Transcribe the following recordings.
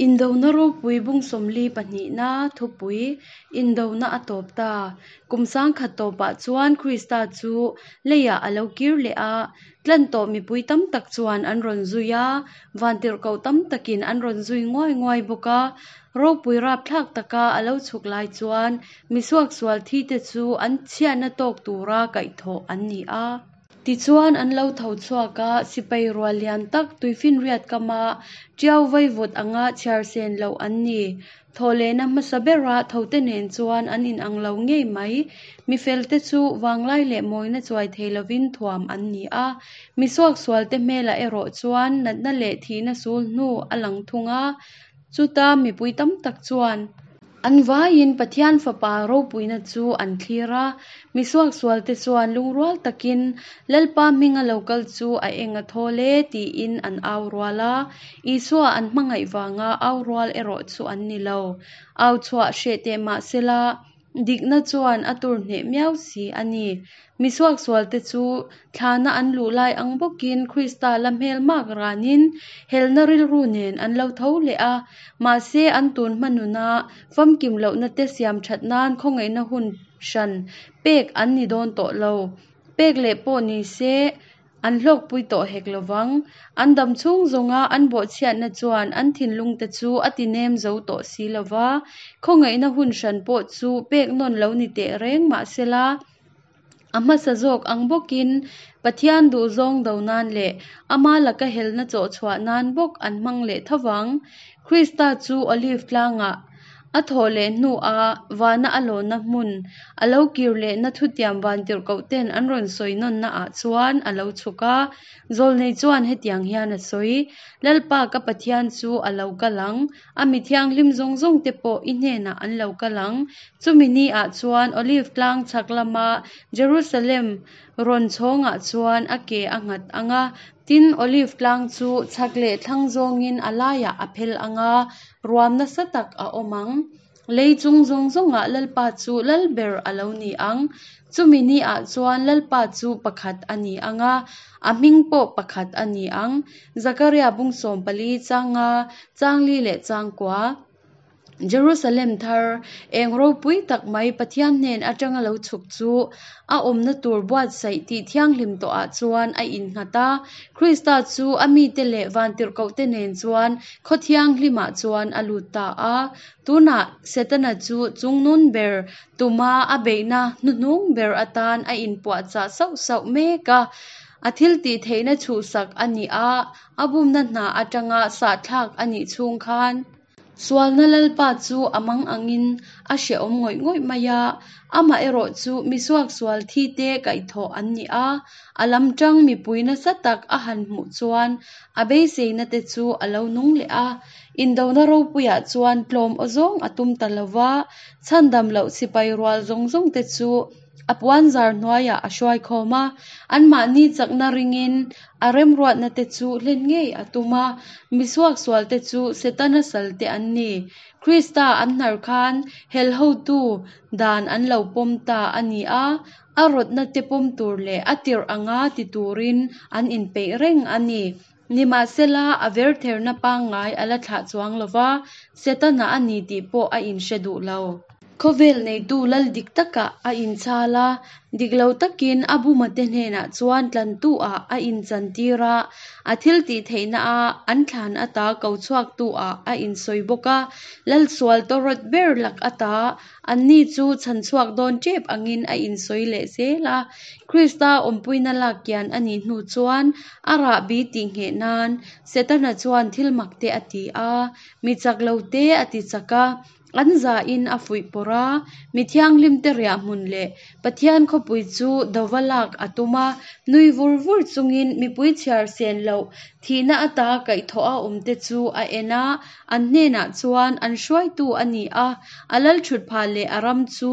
Indona ropui bung 42na thupui, Indona a tawp ta. Kum 1000 tawpah chuan Krista chu leiah a lo kir leh a, tlan tawh mipui tam tak chuan an rawn zui a, vantirhkoh tam takin an rawn zui nguai nguai bawk a. Ropui rapthlak taka a lo chhuk lai chuan mi suaksual thite chu an chhiatna tawk tura kaihthawh an ni a. Tichuan an lo tho chhuak a, sipai rual lian tak tuifinriat kama tiau vaivut anga chhiar sen loh an ni. Thawhlehna hmasa bera thote nen chuan an inang lo ngei mai. Mi felte chu vanglai leh mawina chuai thei lovin thuam an ni a, mi suaksualte hmelah erawh chuan natna leh thihna sul hnu a lang thung a. Chuta mipui tam tak chuan. An vaiin Pathian Fapa ropuina chu an thlir a, mi suaksualte chuan lungrual takin Lalpa hminga lo kal chu a eng a thawl e tiin an au rual a, Isua an hmangaih vanga au rual erawh chu an ni lo. Au chhuah hreh teh mah sela, dikna chuan a tur hneh miau si a ni. Mi suaksualte chu thlana an luh lai ang bawkin Krista la hmel mak ranin helna rilru nen an lo tho leh a, mahse an tun hma nuna famkim lohna te siam that nan khawngaihna hun hran pek an ni dawn tawh lo. Pek leh pawh ni se an hlawkpui tawh hek lo vang. An dam chhung zawnga an bawhchhiatna chuan an thinlungte chu a ti nem zo tawh si lo va, khawngaihna hun hran pawh chu pek nawn lo ni teh reng mah sela, A hmasa zawk ang bawkin Pathian duhzawng do nan leh ama laka helna chawh chhuah nan bawk an hmang leh tho vang. Krista chu Olive tlangah a thawh leh hnuah vana a lawnna hmun a lo kir lehna thutiam vantirhkohten an rawn sawi nawnna ah chuan a lo chhuk a. Zawlnei chuan hetiang hian a sawi, Lalpa ka Pathian chu a lo kal ang, A mi thianghlim zawng zawng te pawh i hnenah an lo kal ang. Chumi ni ah chuan Olive tlang chhak lama Jerusalem rawn chhawngah chuan a ke a nghat ang a, tin, Olive tlang chu chhak leh thlang zawngin a laiah a phel ang a, ruam nasa tak a awm ang. Lei chung zawng zawngah Lalpa chu lal ber a lo ni ang. Chumi ni ah chuan Lalpa chu pakhat a ni ang a, a hming pawh pakhat a ni ang. Zakaria bung 14 chang nga, chang li leh chang kua. Jerusalem thar, eng ropui tak mai Pathian hnen atanga lo chhuk chu a awmna tur buatsaih tih thianghlim tawhah chuan a innghat a. Krista chu a mite leh vantirhkohte nen chuan khaw thianghlimah chuan a lut ta a. Tunah Setana chu chungnun ber tuma a beihna hnuhnung ber atan a inpuahchah sauh sauh mek a. A thiltih theihna chhuhsak a nih a, a bumna hna atanga sahthlak a nih chhung khan sualna Lalpa chu a mang angin a hrehawm ngawih ngawih mai a. Amaherawh chu mi suaksual thi te kaihthawh an ni a, a lam tang mipui nasa tak a han hmuh chuan a beiseina te chu a lo nung leh a. Indona ropuiah chuan tlawm aw zawng a tum ta lo va, chhandam loh sipai rual zawng zawng te chu a puanzar hnuaiah a hruai khawm a, anmahni chakna ringin a remruatna te chu hlen ngei a tum a, mi suaksual te chu Setana sal te an ni. Krista an hnar khan hel hotu dan an lo pawm ta a ni a, a rawtna te pawm tur leh a tirh anga ti turin an inpeih reng a ni. Nimahsela, a vertherna pangngai a la thlah chuang lo va, Setana a ni tih pawh a inhre duh lo. Khawvel neitu lal dik takah a inchhal a, dik lo takin a bumate hnenah chuan tlantu-ah a inchantir a, a thil tih theihna a an thlan ata ko chhuaktu-ah a insawi bawk a, lal sual tawrawt ber lak ata Anni chu chhan chhuak dawn tep angin a insawi leh zel a. Krista awmpuina lak kian a nih hnu chuan a rahbi tih ngheh nan Setana chuan thil mak te a ti a, mi chak lo te a ti chak a, an zahin a fuih pawrh a, mi thianghlimte riah hmun leh Pathian khawpui chu dova lak a tum a, nui vur vur chungin mipui chhiar sen loh thihna ata kaihthawh a awmte chu a en a, An hnenah chuan an hruaitu a ni a, a lalthutphah leh a ram chu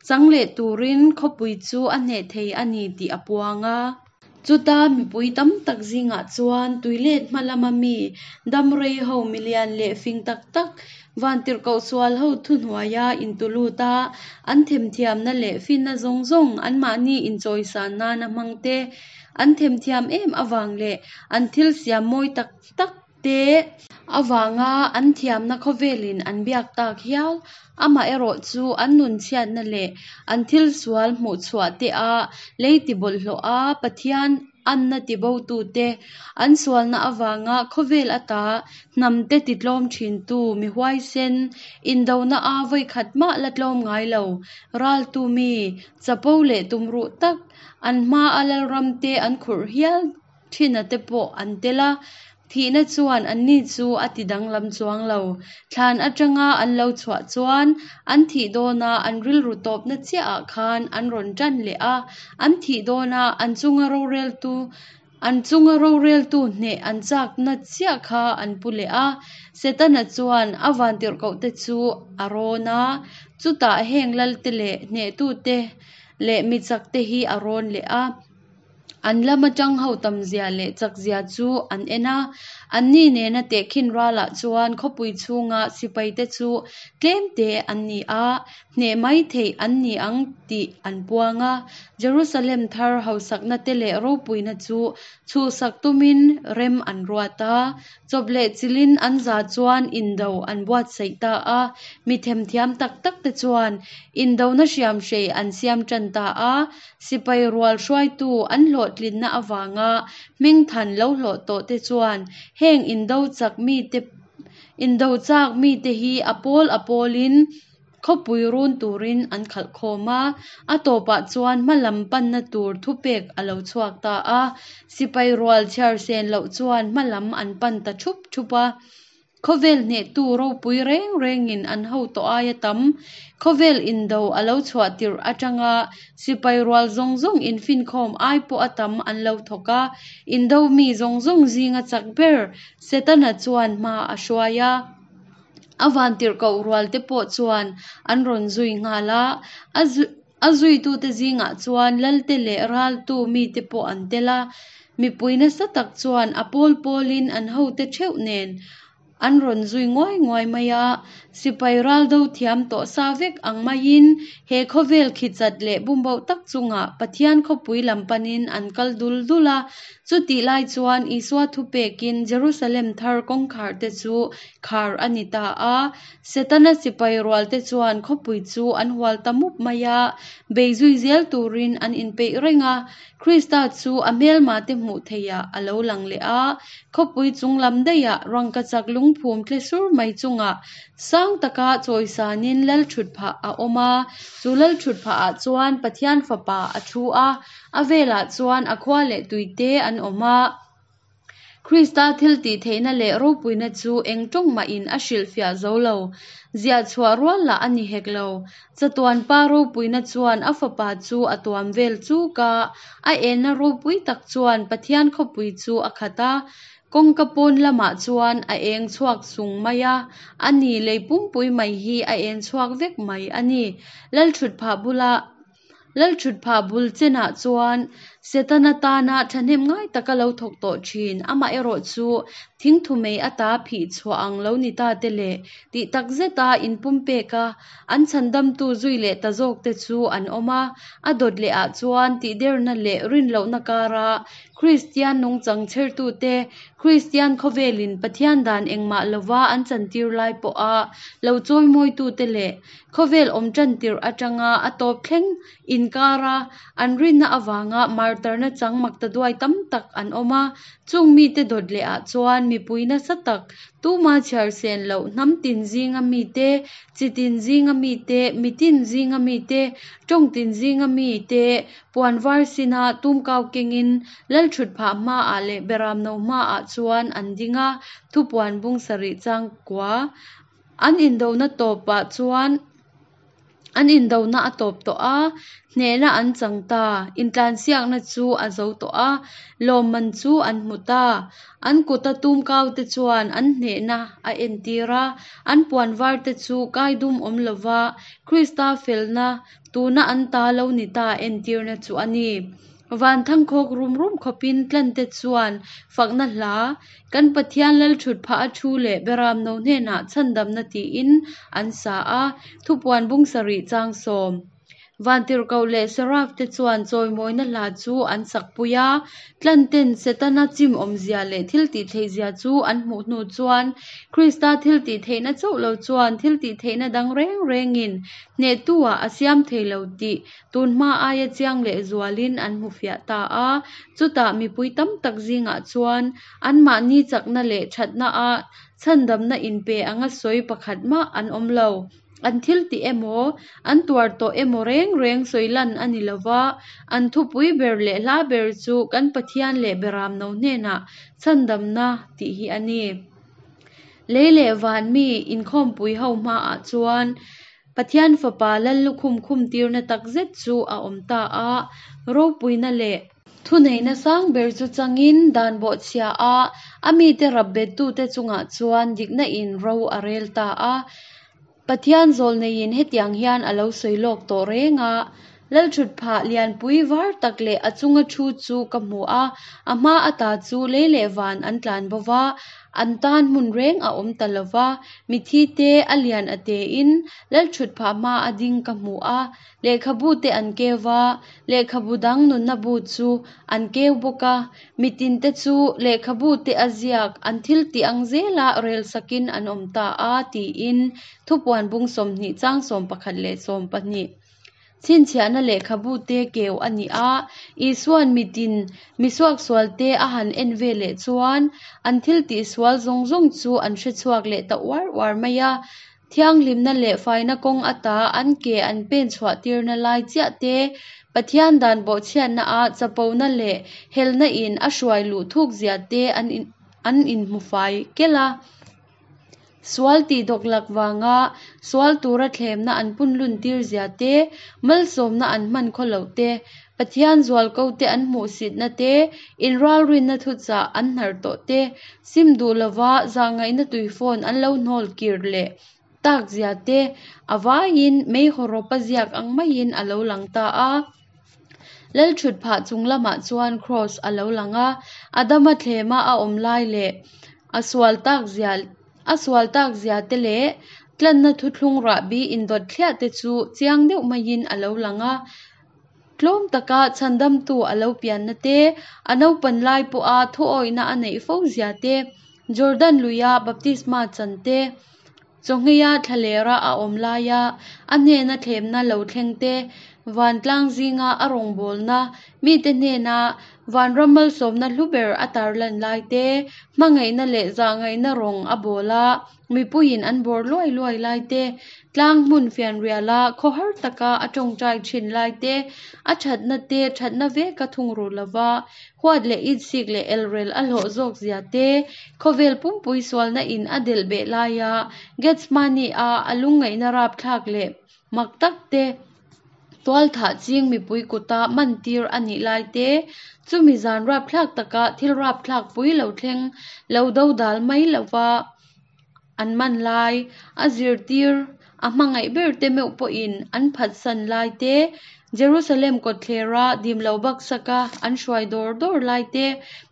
chang leh turin khawpui chu a hneh thei a ni tih a puang a. Chuta mipui tam tak zingah chuan tuilet hma lama mi damrei ho milian leh fing tak tak vantirhkoh sual ho thuhnuaia intulut a, an themthiamna leh finna zawng zawng anmahni inchawisan nana hmang te, an themthiam em avang leh an thil siam mawi tak tak te. Avanga an thiamna khawvelin an biak tak hial. Amaherawhchu an nunchhiatna leh an thil sual hmuhchhuah te a lei tibawlhhlawh a, Pathian anna tibotute, an sualna avanga khawvel ata hnamte titlawm thintu mi huaisen, indona a vawikhat mah la tlawm ngai lo, raltu mi, chapo leh tumruh tak, an hmaa lalramte an khurh hial Ṭhina te pawh an tel a, thihna chuan anni chu a ti danglam chuang lo. Thlan aṭanga an lo chhuah chuan an thih dawna an rilru tawpna chiahah khan an rawn ṭan leh a, an thih dawna an chunga roreltu an chunga roreltu hneh an chakna chiah kha an pu leh a. Setana chuan a vantirhkohte chu a rawn a, chutah heng lalte leh hnehtute leh mi chakte hi a rawn leh a. An lama tang ho tamzia leh chakzia chu an en a, anni nena tehkhin ralah chuan khawpui chhunga sipaite chu tlemte an ni a, hneh mai theih an ni ang tih an puang a. Jerusalem thar hausakna te leh ropuina chu chhuhsak tumin rem an ruat a, chawp leh chilhin an za chuan indo an buatsaih ta a, mi themthiam tak tak te chuan indona hriamhrei an siam tan ta a, Sipai rual hruaitu an hlawhtlinna avanga hmingthan lo hlawh tawh te chuan heng indo chak mite indo chak mite hi a pawl a pawlin khawpui run turin an khalh khawm a, a tawpah chuan hma lam panna tur thupek a lo chhuak ta a, sipai rual chhiar sen loh chuan hma lam an pan ta thup thup a. Khawvel hnehtu ropui reng rengin an ho tawh aia tam. Khawvel indo a lo chhuah tirh atanga sipai rual zawng zawng infinkhawm ai pawh a tam an lo thawk a, indo mi zawng zawng zinga chak ber Setana chuan hma a hruai a. A vantirhkoh rualte pawh chuan an rawn zui nghal a, a zuitute zingah chuan lalte leh raltu mite pawh an tel a, mipui nasa tak chuan a pawl pawlin an hote theuh nen an rawn zui nguai nguai mai a, sipai ral do thiam tawh sa vek ang maiin he khawvel khichat leh bumboh tak chungah Pathian khawpui lam panin an kal dul dul a, chutih lai chuan Isua thupekin Jerusalem thar kawngkhar te chu khar a ni ta a. Setana sipai rualte chuan khawpui chu an hual ta mup mai a, bei zui zel turin an inpeih reng a. Krista chu a hmelmate hmuh theihah a lo lang leh a, khawpui chung lam daihah rangkachak lungphum tle sur mai chungah sang taka chawisanin lalthutphah a awm a. Chu lalthutphahah chuan Pathian Fapa a thu a, a velah chuan a khua leh tuite an awm a. Krista thiltihtheihna leh ropuina chu eng tawng mahin a hrilhfiah zo lo. Ziah chhuah rual lah a ni hek lo. Chatuan pa ropuina chuan a fapa chu a tuam vel chuk a, a enna ropui tak chuan Pathian khawpui chu a khat a. Kawngka pawn lamah chuan a eng chhuak sung mai a, a ni lei pumpui mai hi a en chhuak vek mai a ni. Lalthutphah bulah. Lalthutphah bul chenah chuan Setana tana thahnem ngai taka lo thawk tawh thin, amaherawh chu thingthumei ata phih chhuah ang lo ni ta te leh tih tak zeta inpumpek a, an chhandamtu zui leh ta zawk te chu an awm a. A dawt leh ah chuan tihderna leh rinlohna kara Kristian nungchang chhertute, Kristian khawvelin Pathian dan engmah lova an chantir lai pawha lo chawimawitute leh Khawvel awm tan tirh atanga a tawp thleng inkara an rinna avanga martarna chang maktaduai tam tak an awm a, chung mite dawt leh ah chuan mipui nasa tak tuma chhiar sen loh hnam tin zinga mite, chi tin zinga mite, mitin zinga mite, tawng tin zinga mite puan var sina tumkau kengin Lalthutphah hmaah leh Beramno hmaah chuan an ding a, thupuan bung sarih changkua An indona tawpah chuan an indona a tawp tawh a, hnehna an chang ta. Intlansiakna chu a zo tawh a, lawmman chu an hmu ta. An kuta tumkaute chuan an hnehna a entir a, an puan varte chu kaidum awm lova Krista felna tuna an ta lo ni ta entirna chu a ni. Van thangkhawk rum rum khawpin tlante chuan fakna hla, Kan Pathian Lalthut phah a thu leh Beramno hnenah chhandamna tiin an sa a, Thupuan bung sarih chang sawm. Vantirhkoh leh Seraf-te chuan chawimawina hla chu an sakpui a. Tlanten Setana chim awmzia leh thiltihtheihzia chu an hmuh hnu chuan Krista thiltihtheihna chauh lo chuan thiltihtheihna dang reng rengin hnehtu-ah a siam thei lo tih tunhma aia chiang leh zualin an hmu fiah ta a. Chutah mipui tam tak zingah chuan anmahni chakna leh thatna-a chhandamna inpe anga sawi pakhat mah an awm lo. An thil tih emaw, an tuar tawh emaw reng reng sawi lan a ni lo va, an thupui ber leh hla ber chu kan Pathian leh Beramno hnenah chhandamna tih hi a ni. Lei leh van mi inkhawmpui ho hmaah chuan Pathian Fapa Lallukhum khumtirna takzet chu a awm ta a, ropuina leh. Thuneihna sang ber chu changin dan bawhchhia a, a mite rap bettute chungah chuan dikna in ro a rel ta a. Pathian zawlneiin hetiang hian a lo sawi lawk tawh reng a, Lalthutphah lianpui var tak leh a chunga thu chu ka hmu a, a hma ata chu lei leh van an tlan bo va, an tan hmun reng a awm ta lo va, mithi te a lian a tein Lalthutphah hma a ding ka hmu a, Lehkhabu te an keu va, lehkhabu dang nunna bu chu an keu bawk a. Mitin te chu lehkhabu te a ziak an thil tih ang zela rel sakin an awm ta a, tiin Thupuan bung 20 chang 11 leh 12 chhinchhiahna lehkhabu te keu a ni a. Isua'n mitin mi suaksual te a han en ve leh chuan an thil tih sual zawng zawng chu an hre chhuak leh ta uar uar mai a. Thianghlimna leh faina kawng ata an ke an pen chhuah tirna lai chiah te, Pathian dan bawhchhiatna ah chapona leh helna in a hruai luh thuk zia te an an inhmu fai kelh a. Sual tih dawklak vanga sual tura thlemna an punlun tir zia te, malsawmna an hman khaw loh te, Pathian zualko te an hmuhsitna te, inralrinna thuchah an hnar tawh te, sim duh lova zahngaihna tuifawn an lo hnawl kir leh tak zia te a vaiin mei hawrawp a ziak ang maiin a lo lang ta a. Lalthutphah chung lamah chuan kraws a lo lang a, Adama thlema a awm lai leh a sual tak zia a sual tak zia te leh tlanna thuthlung rahbi indawt thliah te chu chiang deuh maiin a lo lang a. Tlawm taka chhandamtu a lo pianna te, a naupan lai pawha thuawihna a neih fo zia te, Jordan luia baptisma chan te, chawngheia thlalera a awm laia a hnena thlemna lo thleng te, vantlang zinga a rawngbawlna mite hnena vanram malsawmna hlu ber a tarlan lai te, hmangaihna leh zahngaihna rawng a bawl a. Mipuiin an bawr luai luai lai te, tlang hmun fianriala khawhar taka a tawngtai thin lai te, a thatna te thatna veka thungrul lova huat leh itsik leh elrel a hlawh zawk zia te, khawvel pumpui sualna in a delh beh laia Gethsemane-a a lungngaihna rapthlak leh mak tak te, Tualthah ching mipui kuta mantir a nih lai te, chumi zan rapthlak taka thil rapthlak pui lo thleng lo dodal mai lova an man lai, a zirtir a hmangaih ber te meuh pawhin an phatsan lai te, Jerusalem kawtthlera dim lo baksaka an hruai dawr dawr lai te,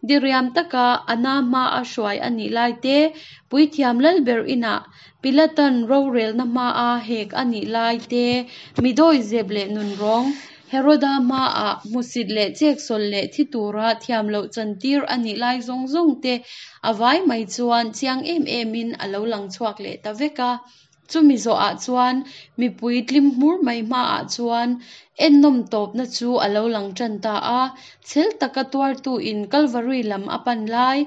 diriam taka a na hmaa hruai a nih lai te, puithiam lalber inah Pilatan rorelna hmaa hek a nih lai te, mi dawihzep leh nunrawng, Heroda hmaah hmusit leh cheksawlh leh thi tura thiam loh chantir a nih lai zawng zawng te a vai mai chuan chiang em emin a lo lang chhuak leh ta vek a. Chumi zawhah chuan mipui tlim hmur mai hmaah chuan ennawm tawpna chu a lo lang tan ta a. Chhel taka tuartuin Kalvari lam a pan lai,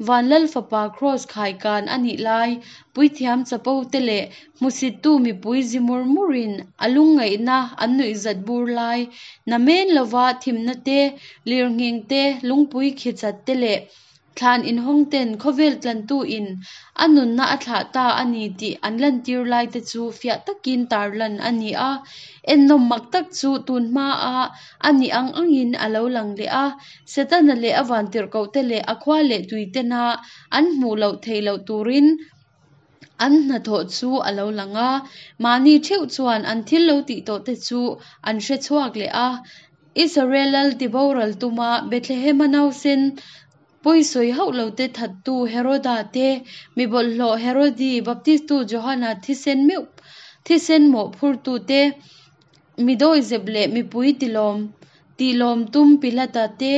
Vanlal Fapa Kraws khaikan a nih lai, puithiam chapo te leh hmusittu mipui zi mur murin a lungngaihna an nuihzat bur lai, namen lova thimna te, lirnghing te, lungpui khichat te leh Thlan inhawng ten khawvel tlantu in a nunna a thlah ta a ni tih an lantir lai te chu fiah takin tarlan a ni a. Ennawm mak tak chu tun hma a a nih ang angin a lo lang leh a. Setana leh a vantirhkoh te leh a khua leh tui tena an hmuh loh theih loh turin an hnathawh chu a lo lang a. Mahni theuh chuan an thil lo tih tawh te chu an hre chhuak leh a. Israel lal tiboral tuma Bethlehema nausen pawisawi hauh lote thattu Heroda te, mi bawlhhlawh Herodi, Baptistu Johana thisen meuh thisen mawhphurtu te. Mi dawihzep leh mipui tilawm tihlawm tum Pilata te,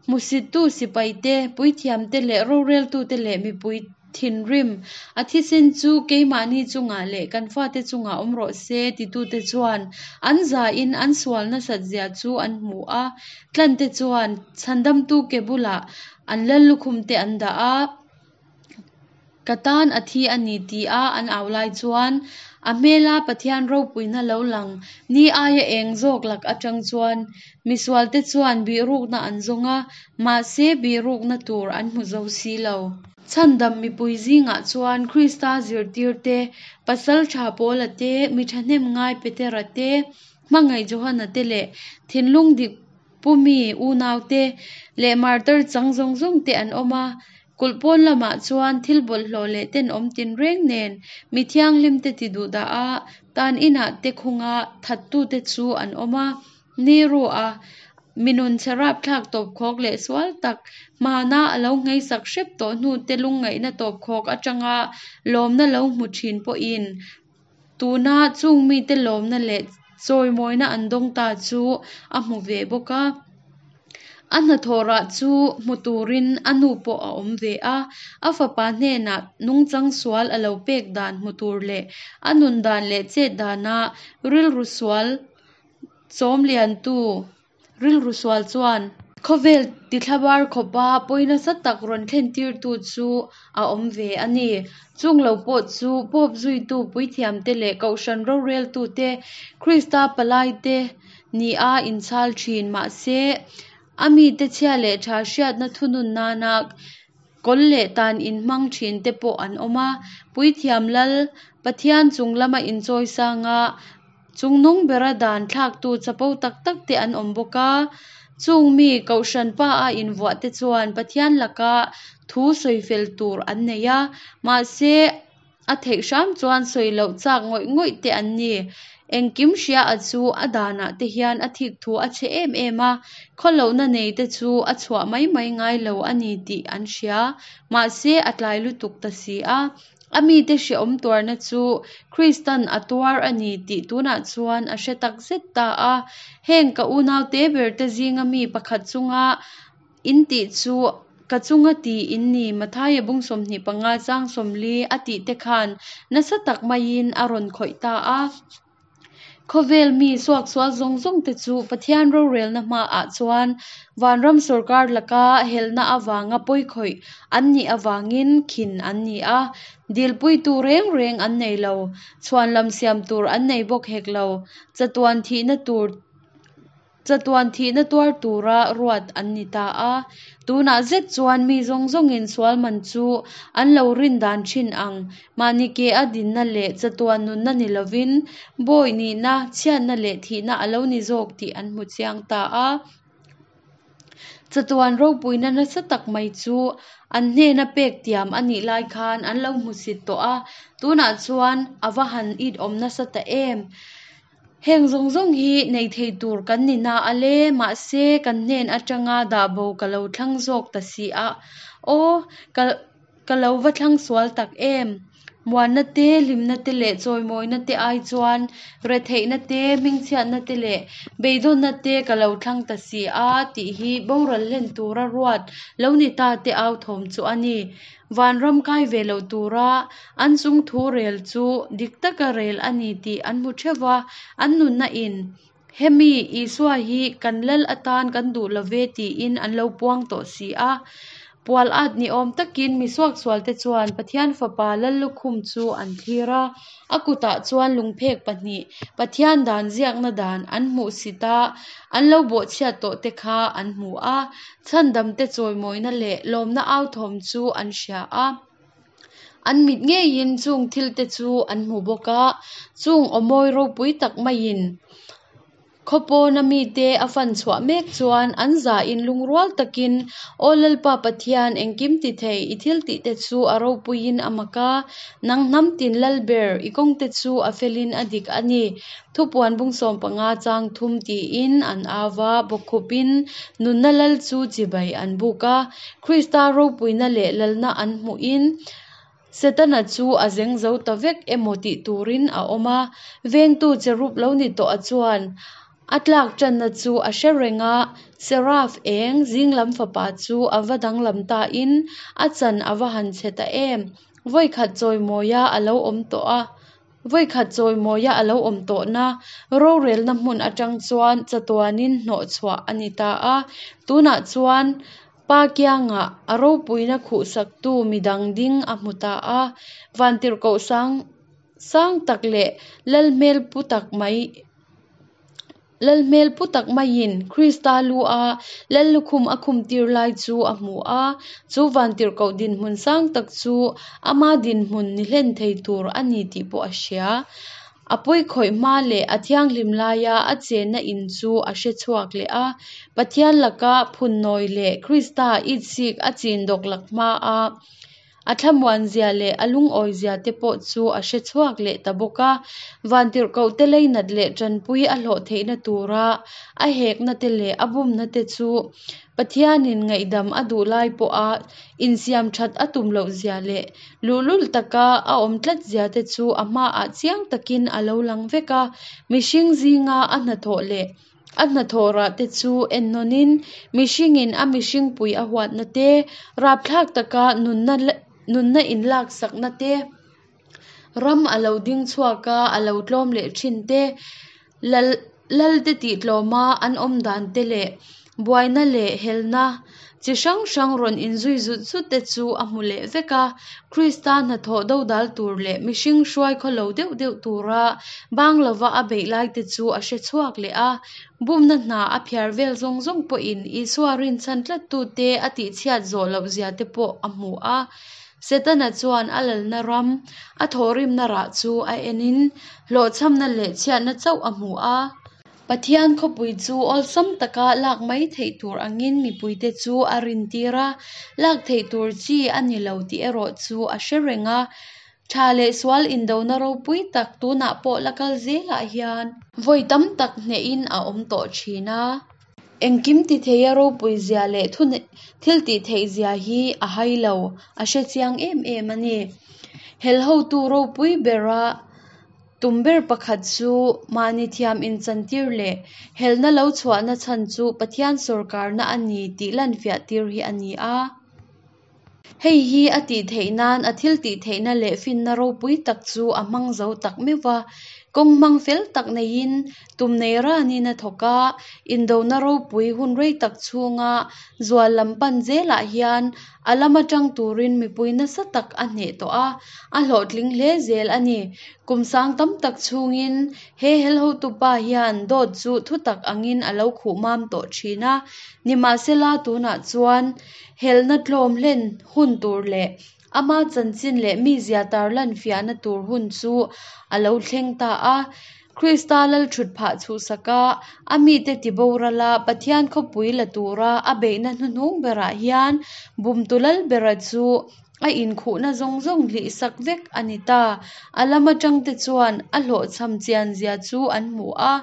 hmusittu sipai te, puithiam te leh roreltute leh mipui thinrim a thisen chu keimahni chungah leh kan fate chungah awm rawh se titute chuan an zain an sual nasat zia chu an hmu a. Tlante chuan chhandamtu ke bulah an lallukhum te an dah a. Ka tan a thi a ni ti a an au lai chuan a hmela Pathian ropuina lo lang ni aia eng zawk lak atang chuan misualte chuan bihrukna an zawng a, mahse bihrukna tur an hmu zo si lo. Chhandam mipui zingah chuan Krista zirtirte, Pasaltha Paula te, mi thahnem ngai Petera te, hmangaih Johana te leh thinlung dik pumi unaute leh martar chang zawng zawng te an awm a. Kulh pawn lamah chuan thil bawlhhlawh leh tenawm tinreng nen mi thianghlimte ti duh dah a, tan inah te khunga thattute chu an awm a. Nero-a mi nun chhe rapthlak tawpkhawk leh sual tak hmana a lo ngheisak hrep tawh hnute lungngaihna tawpkhawk atanga lawmna lo hmu thin pawhin tuna chung mite lawmna leh chawimawina an dawng ta chu a hmu ve bawk a. A hnathawh rah chu hmu turin a nu pawh a awm ve a, a fapa hnenah nungchang sual a lo pek dan hmu tur leh a nun dan leh chet dana rilru sual chawm liantu rilru sual chuan khawvel tithlabar khawpa pawi nasa tak rawn thlen tirtu chu a awm ve a ni. Chung lo pawh chu Pope zuitu puithiamte leh kohhran roreltute, Krista palaite nia inchhal thin. Mahse, a mite chhia leh tha hriatna thunun nana kawl leh tan inhmang thinte pawh an awm a. Puithiam lal, Pathian chung lama inchawi sanga chungnung bera dan thlaktu chapo tak tak te an awm bawk a. Chung mi kohhran pa a invuah te chuan Pathian laka thu sawi fel tur an nei a, mahse, A theih hram chuan sawi loh chak ngawih ngawih te an ni. Engkim hria a chu a danah te hian a thik thu a chhe em em a, khawlohna nei te chu a chhuah mai mai ngai lo a ni tih an hria. Mahse a tlai lutuk ta si a. A mite hrehawm tuarna chu Kristan a tuar a ni tih tunah chuan a hre tak zet ta a. Heng ka unaute ber te zinga mi pakhat chunga In tih chu ka chunga ti in ni, Mathaia bung 25 chang 40 a tih te khan nasa tak maiin a rawn khawih ta a. Khawvel mi suaksual zawng zawng te chu Pathian rorelna hmaah chuan vanram sawrkar laka helna avanga pawikhawih an nih avangin khin an ni a, dilpuitu reng reng an nei lo, chhuanlam siam tur an nei bawk hek lo, chatuan thihna tur Chatuan thihna tuar tura ruat an ni ta a. Tunah zet chuan mi zawng zawngin sual man chu an lo rin dan thin ang. Mahni ke a dinna leh chatuan nunna ni lovin bawi nihna, chhiatna leh thihna a lo ni zawk tih an hmu chiang ta a. Chatuan ropuina nasa tak mai chu an hnena pek tiam a nih lai khan an lo hmusit tawh a, tunah chuan a va han it awm nasa ta em! Heng zawng zawng hi nei thei tur kan ni na a le, mahse kan hnen atanga dah bo ka lo thlang zawk ta si a, aw, ka ka lo va thlang sual tak em? Muanna te, hlimna te leh chawimawina te ai chuan retheihna te, hmingchhiatna te leh beidawnna te ka lo thlang ta si a tih hi boral hlen tura ruat lo ni ta te au thawm chu a ni. Vanram kai ve loh tura an chung thu rel chu dik taka rel a ni tih an hmu theuh va, an nunna in Hemi Isua hi kan lal atan kan duh lo ve tiin an lo puang tawh si a. Pual at ni awm takin mi suaksualte chuan Pathian Fapa Lallukhum chu an thlir a, a kutah chuan lungphek pahnih, Pathian dan ziakna dan an hmuh sit a, an lo bawhchhiat tawh te kha an hmu a. Chhandamte chawimawina leh lawmna authawm chu an hria a. An mit ngeiin chung thilte chu an hmu bawk a, chung aw mawi ropui tak maiin khawpawna mite a fan chhuah mek chuan an zahin lungrual takin, Aw Lalpa Pathian, engkim ti thei, i thil tihte chu a ropuiin a mak a, nang hnam tin lal ber, i kawngte chu a felin a dik a ni. Thupuan bung 15 chang thum tiin an au va, bawkkhupin nunna lal chu chibai an buk a. Krista ropuina leh lalna an hmuhin Setana chu a zeng zo ta vek emaw tih turin a awm a. Vengtu cherub lo ni tawh a chuan a tlak tanna chu a hre reng a, Seraph eng zinglam fapa chu a va danglam ta in a chan a va han chhe ta em! Vawikhat chawimawia a lo awm tawh a, vawikhat chawimawia a lo awm tawhna rorelna hmun atang chuan chatuanin hnawhchhuah a ni ta a. Tunah chuan Pa kiangah a ropuina khuhsaktu midang ding a hmu ta a, vantirhkoh sang sang tak leh lal hmel pu tak mai lal hmel pu tak maiin Krista lu a lal lukhum a khum tir lai chu a hmu a, chu vantirhkoh dinhmun sang tak chu ama dinhmun ni hlen thei tur a ni tih pawh a hria. A pawi khawih hma leh a thianghlim laia a chenna in chu a hre chhuak leh a. Pathian laka phunnawi leh Krista itsik a chin dawk lak hma a a thlamuanzia leh a lungawizia te pawh chu a hre chhuak leh ta bawk a. Vantirhkohte leinat leh tanpui a hlawh theihna tura a hekna te leh a bumna te chu Pathianin ngaihdam a duh lai pawha insiam that a tum lohzia leh luhlul taka a awm tlat zia te chu a hmaah chiang takin a lo lang vek a. Mihring zinga a hnathawh leh a hnathawh rah te chu ennawnin mihringin a mihringpui a huatna te, rapthlak taka nunna nunna inlaksakna te, ram a lo ding chhuak a, a lo tlawm leh thin te, lal lal te tih tlawma an awm dan te leh buaina leh helna chi hrang hrang rawn inzui zut zut te chu a hmu leh vek a. Krista hnathawh dodal tur leh mihring hruai khawlo deuh deuh tura bang lova a beih lai te chu a hre chhuak leh a. Bumna hna a phiar vel zawng zawng pawhin Isua rinchhan tlattute a tihchhiat zawh loh zia te pawh a hmu a. Setana chuan a lalna ram, a thawhrimna rah chu a enin hlawhchhamna leh chhiatna chauh a hmu a. Pathian khawpui chu awlsam taka lak mai theih tur angin mipuite chu a rintir a, lak theih tur chi a ni lo tih erawh chu a hre reng a. Tha leh sual indona ropui tak tunah pawh la kal zelah hian vawi tam tak hnehin a awm tawh thin a. Engkim ti theia ropui zia leh thu thil tih theih zia hi a hai lo, a hre chiang em em a ni. Hel hotu ropui bera tum ber pakhat chu mahni thiam inchantir leh helna lo chhuahna chhan chu Pathian sawrkarna a ni tih lanfiah tir hi a ni a. Hei hi a tih theih nan a thil tih theihna leh finna ropui tak chu a hmang zo tak meuh va. Kawng hmang fel tak neiin tum nei ranin a thawk a, indona ropui hun rei tak chhunga zual lam pan zelah hian a lama tang turin mipui nasa tak a hneh tawh a, a hlawhtling hle zel a ni. Kum sang tam tak chhungin he hel hotupa hian dawt chu thutak angin a lo khuh mam tawh thin a, nimahsela tunah chuan Helna tlawm hlen hun tur leh ama chanchin leh mizia tarlan fiahna tur hun chu a lo thleng ta a. Krista lalthut phah chhuhsak a, a mite tiboral a, Pathian khawpui la tura a beihna hnuhnung berah hian bumtu lalbera chu a inkhuhna zawng zawng hlihsak vek a ni ta. A lam atangte chuan a hlawhchham chianzia chu an hmu a.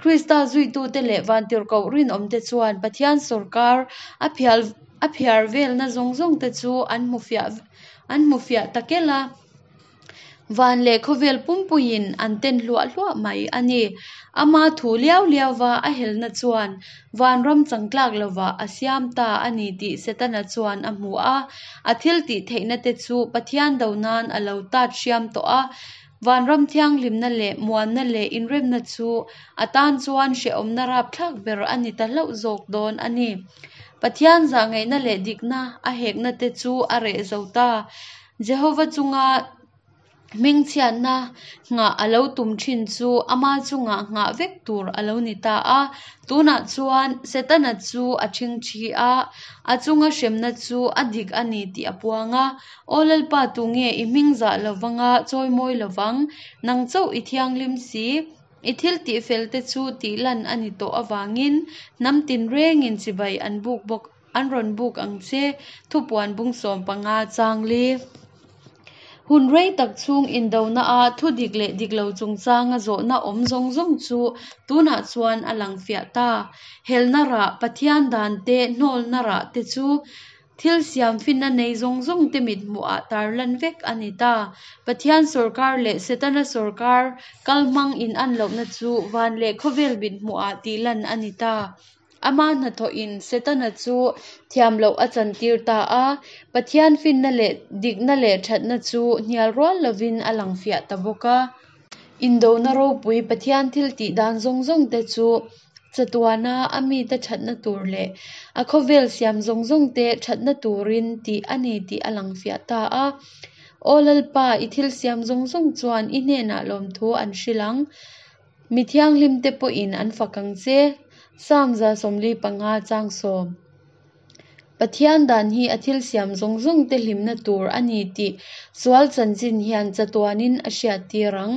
Krista zuitute leh vantirhkoh rinawmte chuan Pathian sawrkar a phial a phiar velna zawng zawngte chu an hmu fiah an hmu fiah ta kel a. Van leh khawvel pumpuiin an ten hluah hluah mai a ni. Ama thu liau liauva a helna chuan vanram changtlak lovah a siam ta a ni tih Setana chuan a hmu a. A thil tih theihna te chu Pathian do nan a lo tat hriam tawh a. Vanram thianghlimna leh muanna leh inremna chu a tan chuan hrehawmna rapthlak ber a ni ta hlauh zawk dawn a ni. Pathian zahngaihna leh dikna a hekna te chu a reh zo ta. Jehova chunga hmingchhiatna nghah a lo tum thin chu ama chungah nghah vek tur a lo ni ta a. Tunah chuan Setana chu a ṭhingṭhi a, a chunga hremna chu a dik a ni tih a puang a. Aw Lalpa tunge i hming zah lovanga chawimawi lovang, nang chauh i thianghlim si. I thil tih fel te chu tih lan a ni tawh avangin hnam tinrengin chibai an buk bawk. An rawn buk ang che, thupuan bung 15 chang li. Hun rei tak chhung indonaah thu dik leh dik lo chungchanga zawhna awm zawng zawng chu tunah chuan a lang fiah ta. Helna rah, Pathian dan te, hnawlna rah te chu. Thil siam finna nei zawng zawngte mithmuhah tarlan vek a ni ta. Pathian sawrkar leh Setana sawrkar kalhmang inan lohna chu van leh khawvel mithmuhah tihlan a ni ta. Ama hnathawhin Setana chu thiam loh a chantir ta a, Pathian finna leh dikna leh thatna chu hnial rual lovin a lang fiah ta bawk a. Indona ropui Pathian thil tih dan zawng zawngte chu chatuana a mite thatna tur leh a khawvel siam zawng zawngte thatna turin tih a ni tih a lang fiah ta a. Aw Lalpa, i thil siam zawng zawng chuan i hnenah lawmthu an hrilh ang. Mi thianghlimte pawhin an fak ang che. Psalm 145 chang 10. Pathian dan hi a thil siam zawng zawngte hlimna tur a ni tih sual chanchin hian chatuanin a hriattir ang.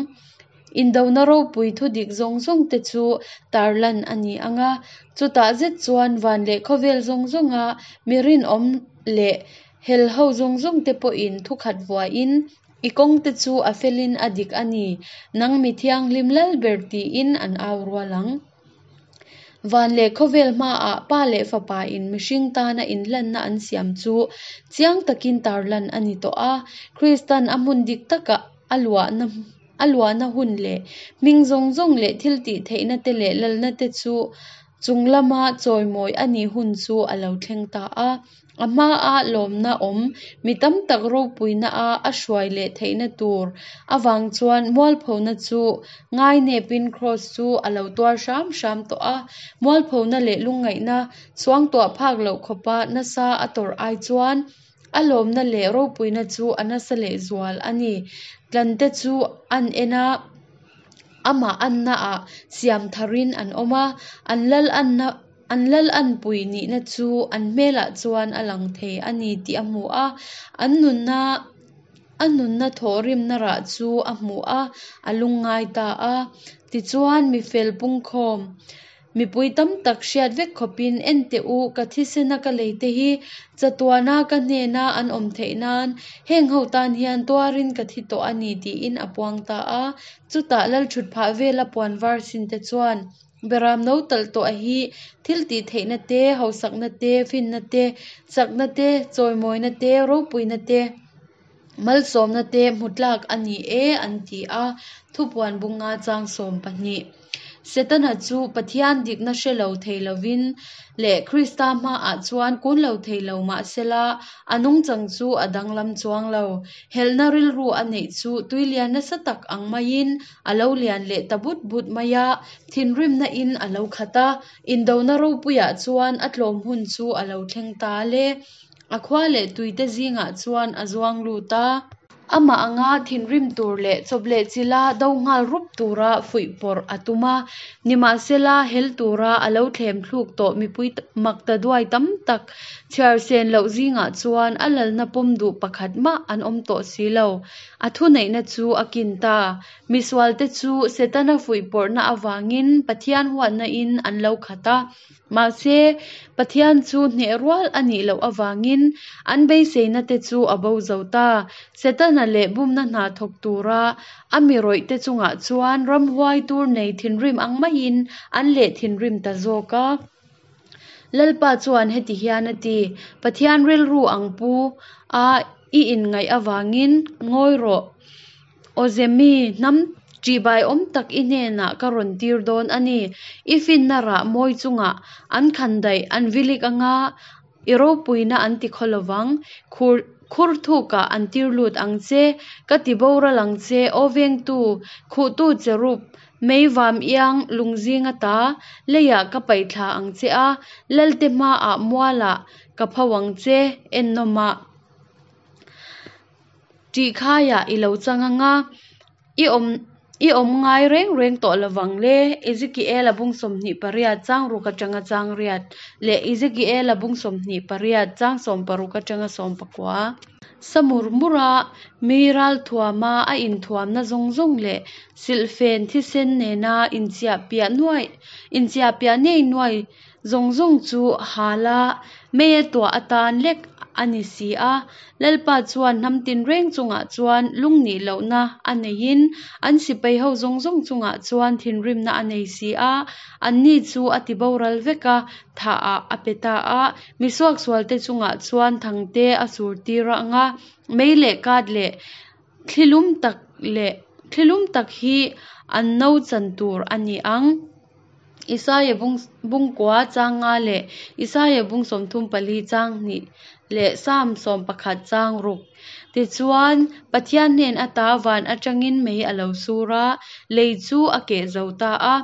Indona ropui thudik zawng zawngte chu tarlan a ni ang a, chutah zet chuan van leh khawvel zawng zawnga mi rinawm leh helho zawng zawngte pawhin thukhat vuahin I kawngte chu a felin a dik a ni, nang mi thianghlim lal ber tiin an au rual ang. Van leh khawvel hmaah Pa leh Fapa in mihring tana inhlanna an siam chu chiang takin tarlan a ni tawh a, Kristan a hmun dik taka a luahna a luahna hun leh hming zawng zawng leh thiltih theihna te leh lalna te chu chung lama chawimawi a nih hun chu a lo thleng ta a. A hmaa lawmna awm mi tam tak ropuina a a hruai leh theihna tur avang chuan mualphona chu ngainepin Kraws chu a lo tuar hram hram tawh a. Mualphona leh lungngaihna suangtuah phak loh khawpa nasa a tawrh ai chuan a lawmna leh ropuina chu a nasa leh zual a ni. Tlante chu an en a, amah annaah siam tharin an awm a, an lal anna An lal anpui nihna chu an hmelah chuan a lang thei a ni tih a hmu a, an nunna a nunna thawhrimna rah chu a hmu a, a lungngai ta a. Tichuan, mi fel pungkhawm, mipui tam tak hriat vek khawpin, En teh u, ka thisena ka leite hi chatuana ka hnena an awm theih nan heng ho tan hian tuarin ka thi tawh a ni tiin a puang ta a. Chutah lalthutphah vela puan var sinte chuan, Beram no talh tawh a hi thil tih theihna te, hausakna te, finna te, chakna te, chawimawina te, ropuina te, malsawmna te hmu tlak a ni e an ti a, thupuan bunga chang 12. Setana chu Pathian dikna hre lo thei lovin leh Krista hmaah chuan kun lo thei lo mahsela a nungchang chu a danglam chuang lo. Helhna rilru a neih chu tuilian nasa tak ang maiin A lo lian leh ta but but mai a, thinrimna in a lo khat a, indona ropuiah chuan a tlawm hun chu a lo thleng ta le. A khua leh tuite zingah chuan a zuang lut a. Amah anga thinrim tur leh chawp leh chila do nghal rup tura fuih pawrh a tum a, nimahsela hel tura a lo thlem thluk tawh mipui mak ta duai tam tak chhiar sen loh zingah chuan a lalna pawm duh pakhat mah an awm tawh si lo. A thuneihna chu a kin ta. Misualte chu Setana fuihpawrhna avangin Pathian huatnain an lo khat a. Mahse, Pathian chu hneh rual a nih loh avangin an beiseinate chu a bo zo ta. Setana leh bumna hna thawk tura a mi rawihte chungah chuan ramhuai tur nei thinrim ang maiin an leh thinrim ta zawk a. Lalpa chuan heti hian a ti, Pathian rilru ang pu a i inngaih avangin ngawi rawh. Awzemi, hnam ṭihbaiawm tak i hnenah ka rawn tir dawn a ni. I finna rah mawi chungah an khan daih an vilik anga i ropuina an ti khaw lovang. Khur khur thukah an tir lut ang che, ka ti boral ang che, aw vengtu, khuhtu cherub, Mei vam iang lungzing ata leiah ka paih thla ang che a, Lalte hmaah mualah ka pho ang che, ennawmah tihkhaiah i lo chang ang a, i awm i awm ngai reng reng tawh lovang le. Ezekiel-a bung 28 chang ruk atanga chang riat leh Ezekiel-a bung 28 chang 16 atanga 19. Sa mur mur a, mi ralthuama a inthuamna zawng zawng leh silhfen thisen nena inchiahpiah nuai inchiahpiah nei nuai zawng zawng chu hala meia tuah atan lek a ni si a. Lalpa chuan hnam tinreng chungah chuan lungnih lohna a neiin an sipaiho zawng zawng chungah chuan thinrimna a nei si a, anni chu a tiboral vek a, thahah a pe ta a. Mi suaksualte chungah chuan thangte a surtir ang a, mei leh kat leh thlilum tak leh thlilum tak hi an no chan tur a ni ang. Isaia bung bungkua chang nga leh Isaia bung 34 chang hnih leh Salm 11 chang ruk. Tichuan, Pathian hnen ata van atangin mei a lo sur a, lei chu a keh zo ta a.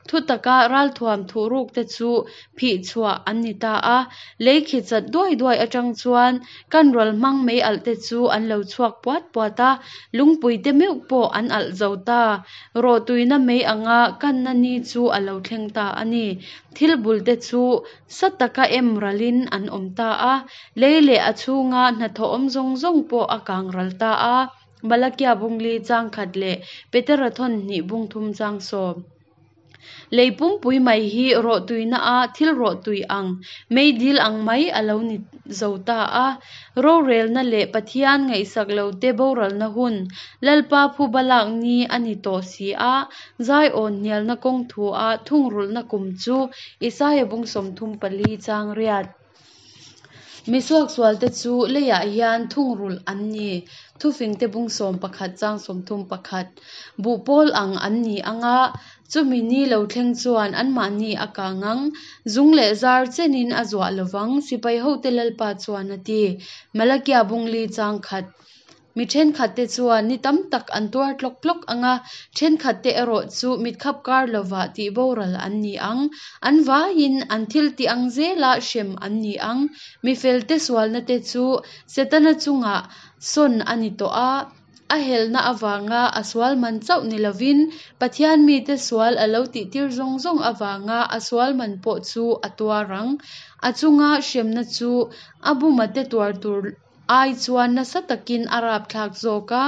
Thutaka ralthuam thuhrukte chu phih chhuah an ni ta a. Lei khi chat duai duai atang chuan kan ral hmang mei alh te chu an lo chhuak puat puat a, lungpuite meuh pawh an alh zo ta. Rawhtuina mei anga kanna ni chu a lo thleng ta a ni. Thil bulte chu sa taka em ralin an awm ta a, lei leh a chhunga hnathawh awm zawng zawng pawh a kang ral ta a. Malakia bung li chang khat leh Petera thawn hnih bung thum chang sawm. Lei pumpui mai hi rawhtuina a thil rawhtui ang, meidil ang mai a lo ni zo ta a. Rorelna leh Pathian ngaihsak lote boralna hun, Lalpa phuba lak ni a ni tawh si a, Zaiawn hnialna kawng thu a thungrulhna kum chu Isaia bung 34 chang riat. Mi suaksualte chu leiah hian thungrulh an ni. Thufingte bung 11 chang 31. Buhpawl ang an ni ang a, chumi ni lo thleng chuan anmahni a kang ang. Zung leh zar chenin a zuah lovang, sipaihote Lalpa chuan a ti. Malakia bung li chang khat. Mi thenkhatte chuan ni tam tak an tuar tlawk tlawk ang a, thenkhatte erawh chu mitkhap kar lovah tih boral an ni ang. An vaiin an thil tih ang zela hrem an ni ang. Mi felte sualnate chu Setana chungah sawn a ni tawh a, a helna avanga a sual man chauh ni lovin Pathian mite sual a lo tihtir zawng zawng avanga a sual man pawh chu a tuar ang. A chunga hremna chu a bumate tuar tur ai chuan nasa takin a rapthlak zawk a,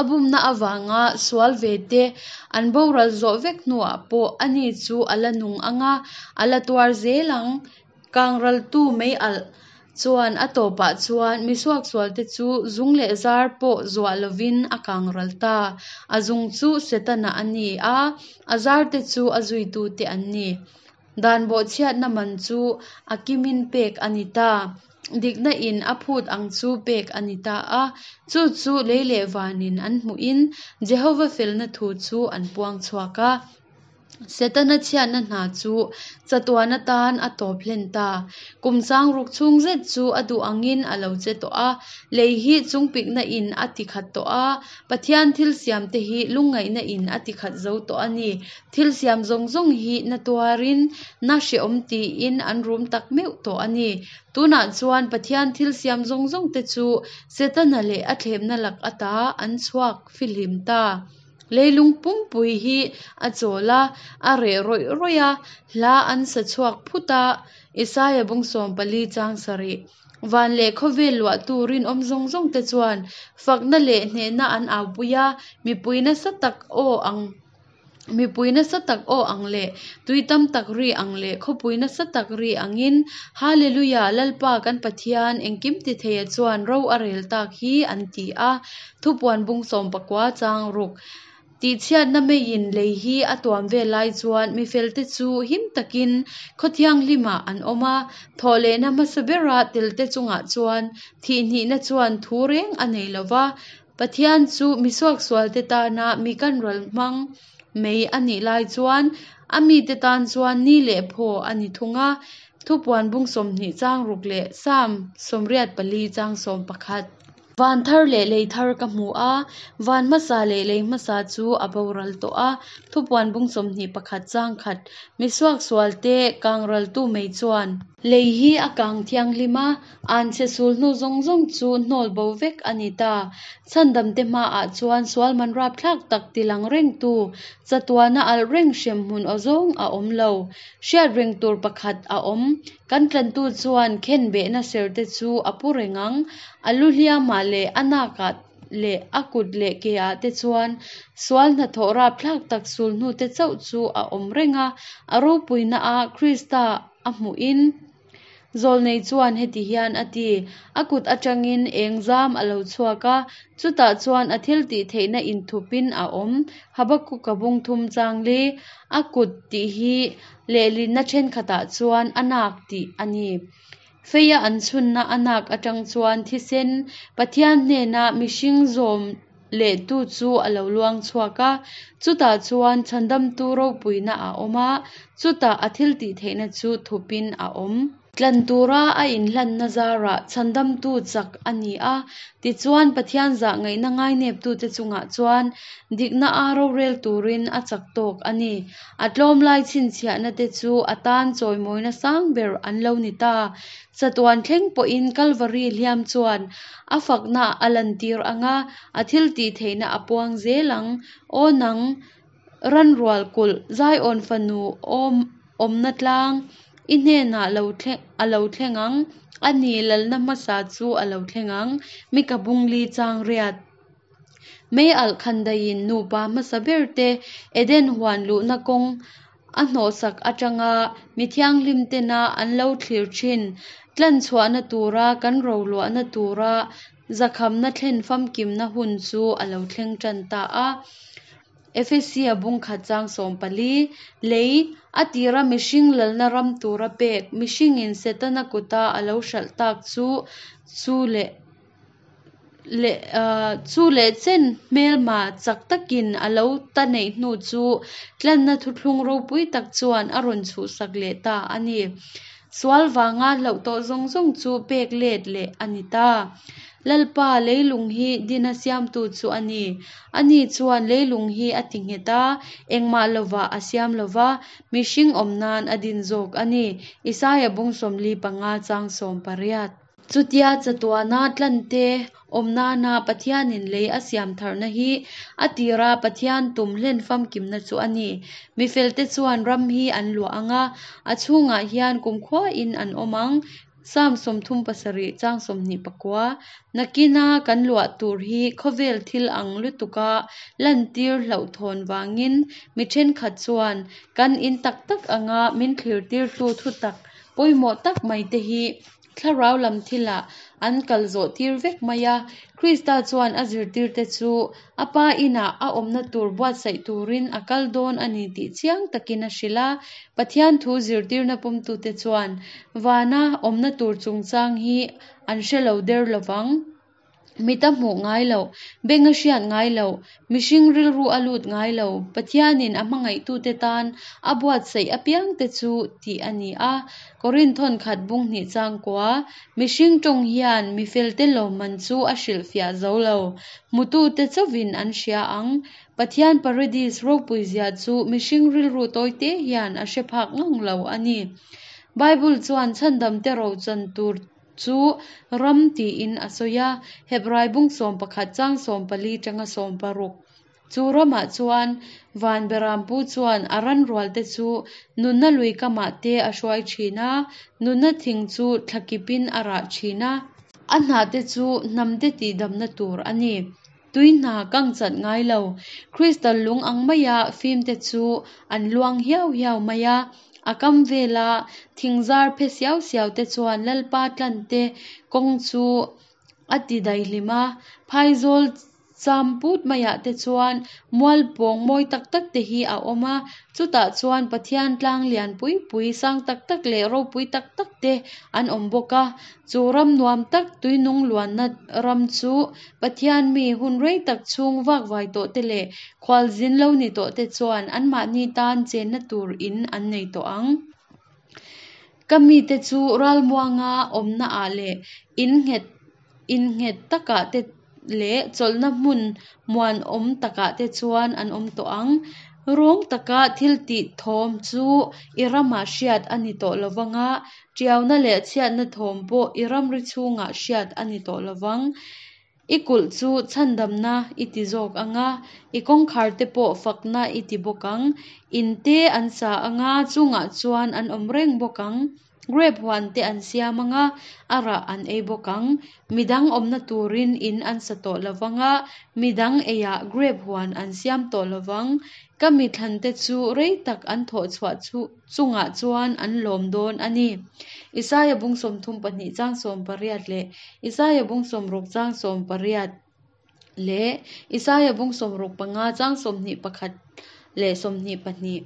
a bumna avanga sual ve te an boral zawh vek hnuah pawh ani chu a la nung ang a, a la tuar zel ang. Kangraltu mei alh chuan a tawpah chuan mi suaksualte chu zung leh zar pawh zuah lovin a kangral ta. A zung chu Setana a ni a, a zarte chu a zuitute an ni. Dan bawhchhiatna man chu a kimin pek a ni ta. Dikna in a phut ang chu pek a ni ta a, chu chu lei leh vanin an hmuhin Jehova felna thu chu an puang chhuak a. Setana chhiatna hna chu chatuan atan a tawp hlen ta. Kum sangruk chhung zet chu a duh angin a lo che tawh a, lei hi chungpikna in a ti khat tawh a, Pathian thil siamte hi lungngaihna in a ti khat zo tawh a ni. Thil siam zawng zawng hi na tuarin, na hrehawm tiin an rum tak meuh tawh a ni. Tunah chuan Pathian thil siam zawng zawng te chu Setana leh a thlemna lak ata an chhuak fihlim ta. Leilung pumpui hi a chawl a, a reh rawih rawih a, hla an sa chhuak phut a, Isaia bung 14 chang sarih. Van leh khawvel luahtu rinawm zawng zawng te chuan fakna leh hnehna an aupui a, mipui nasa tak aw ang. Mipui nasa tak aw ang leh tui tam tak ri ang leh khawpui nasa tak ri angin, Hallelujah, Lalpa kan Pathian engkim ti theia chuan ro a rel tak hi an ti a. Thupuan bung 19 chang ruk. Tihchhiatna meiin lei hi a tuam vel lai chuan mi felte chu him takin khaw thianghlimah an awm a, thawhlehna hmasa bera telte chungah chuan thihhnihna chuan thu reng a nei lo va, Pathian chu mi suaksualte tana mi kan ral hmang mai a nih lai chuan a mite tan chuan ni leh phaw a ni thung a, Thupuan bung 20 chang ruk leh Salm 84 chang 11. Van thar leh lei thar ka hmu a, van hmasa leh lei hmasa chu a boral tawh a, Thupuan bung 21 chang khat. Mi suaksualte kangraltu mai chuan. Lei hi a kang thianghlim a, Anchhe sul hnu zawng zawng chu hnawl bo vek a ni ta. Chhandamte hmaah chuan sual man rapthlak tak tilang rengtu, chatuana alh reng hremhmun aw zawng a awm lo. Hriat reng tur pakhat a awm. Kan tlantu chuan khenbehna serte chu a pu reng ang. A lu hliamah leh a nakah. leh a kut leh ke-ah te chuan sual hnathawh rapthlak tak sulhnute chauh chu a awm reng a. A ropuina-a Krista a hmuhin Zawlnei chuan heti hian a ti, A kut atangin eng zam a lo chhuak a, chutah chuan a thiltihtheihna inthupin a awm. Habakuka bung thum chang li, A kut tih hi lehlinna thenkhatah chuan a nak tih a ni. Feia an chhunna a nak atang chuan thisen, Pathian hnena mihring zawm lehtu chu a lo luang chhuak a, chutah chuan Chhandamtu ropuina a awm a, chutah a thiltihtheihna chu thupin a awm. Tlan tura a inhlanna zarah Chhandamtu chak a ni a, tichuan Pathian zahngaihna ngaineptute chungah chuan dikna a rorel turin a chak tawk a ni. A tlawmlai chhinchhiahna te chu a tan chawimawina sang ber an lo ni ta. Chatuan thleng pawhin Kalvari hliam chuan a fakna a lantir ang a, a thiltihtheihna a puang zel ang. Aw nang, ranrual kulh, Zion fanu awm awmna tlang, i hnenah lo thleng a lo thleng ang, a ni lalna hmasa chu a lo thleng ang, Mika bungli chang riat. Mei alh khandaiin nupa hmasa ber te Eden huan luhna kawng a hnawhsak atanga mi thianghlim tena an lo thlir thin tlanchhuahna tura kan roluahna tura zakhamna thlen famkimna hun chu a lo thleng tan ta a. Efesia bungkhat chang 14, Lei, a tira mihring lalna ram tura pek, mihringin Setana kuta a lo hralh tak chu chu leh leh chu leh chen hmelma chak takin a lo ta neih hnu chu tlanna thuthlung ropui tak chuan a rawn chhuhsak leh ta a ni. Sual vanga hlauh tawh zawng zawng chu pek let leh a ni ta. Lalpa leilung hi dina siamtu chu a ni. Ani chuan leilung hi a ti nghet a, engmah lovah a siam lova, mihring awm nan a din zawk a ni. Isaia bung 45 chang 18. Chutia chatuana tlante awm nana Pathianin lei a siam tharna hi a tira Pathian tum hlen famkimna chu a ni. Mi felte chuan ram hi an luah ang a, a chhungah hian kumkhuain an awm ang. Psalm 37 chang 29. Nakina kan luah tur hi khawvel thil ang lutuka lantir hlauhthawn vangin mi thenkhat chuan kan in tak tak anga min thlirtirtu thutak pawimawh tak mai te hi Thlarau lam thilah an kal zawh tir vek mai a. Krista chuan a zirtirte chu a Pa inah a awmna tur buatsaih turin a kal dawn a ni tih chiang takin a hrilh a. Pathian thu zirtirna pawmtute chuan vana awmna tur chungchang hi an hre lo der lovang. Mit a hmuh ngai loh, beng a hriat ngai loh, mihring rilru a lut ngai lo, Pathianin a hmangaihtute tan a buatsaih apiangte chu tih a ni a. Korinth khat bung hnih chang kua, Mihring tawng hian mi felte lawmman chu a hrilhfiah zo lo, hmutute chauhin an hria ang. Pathian Paradis ropuizia chu mihring rilru tawite hian a hre phak ngang lo a ni. Bible chuan chhandamte rochan tur chu ram tiin a sawi a, Hebrai bung 11 chang 14 tanga 16. Chu ramah chuan van berampu chuan a ran rualte chu nunna lui kamah te a hruai thin a, nunna thing chu thlakipin a rah thin a. A hnahte chu hnamte tihdamna tur a ni. Tui hna kang chat ngai lo, crystal lung ang maia fimte chu an luang hiau hiau mai a. A kam vela thingzar phe siau siau te chuan Lalpa tlante kawng chu a ti daihlim a, phaizawl cham put maiah te chuan mual pawng mawi tak tak te hi a awm a, chutah chuan Pathian tlang lian pui pui sang tak tak leh ropui tak tak te an awm bawk a. Chu ram nuam tak tuinung luanna ram chu Pathian mi hun rei tak chhung vakvai tawh te leh khualzin lo ni tawh te chuan anmahni tan chenna tur in an nei tawh ang. Ka mite chu ralmuanga awmna ah leh in nghet in nghet takah te leh chawlhna hmun muanawm takah te chuan an awm tawh ang. Rawng taka thil tih thawm chu i ramah hriat a ni tawh lovang a, tiauna leh chhiatna thawm pawh i ramri chhungah hriat a ni tawh lovang. I kulh chu chhandamna i ti zawk ang a, i kawngkhar te pawh fakna i ti bawk ang. In te an sa ang a, chungah chuan an awm reng bawk ang. Grep huan te an siam ang a, a rah an ei bawk ang. Midang awmna turin in an sa tawh lo vang a, midang eiah grep huan an siam tawh lo vang. Ka mi thlante chu rei tak an thawh chhuah chungah chuan an lawm dawn a ni. Isaia bung 32 chang 18 leh Isaia bung 60 chang 18 leh Isaia bung 65 chang 21 leh 22.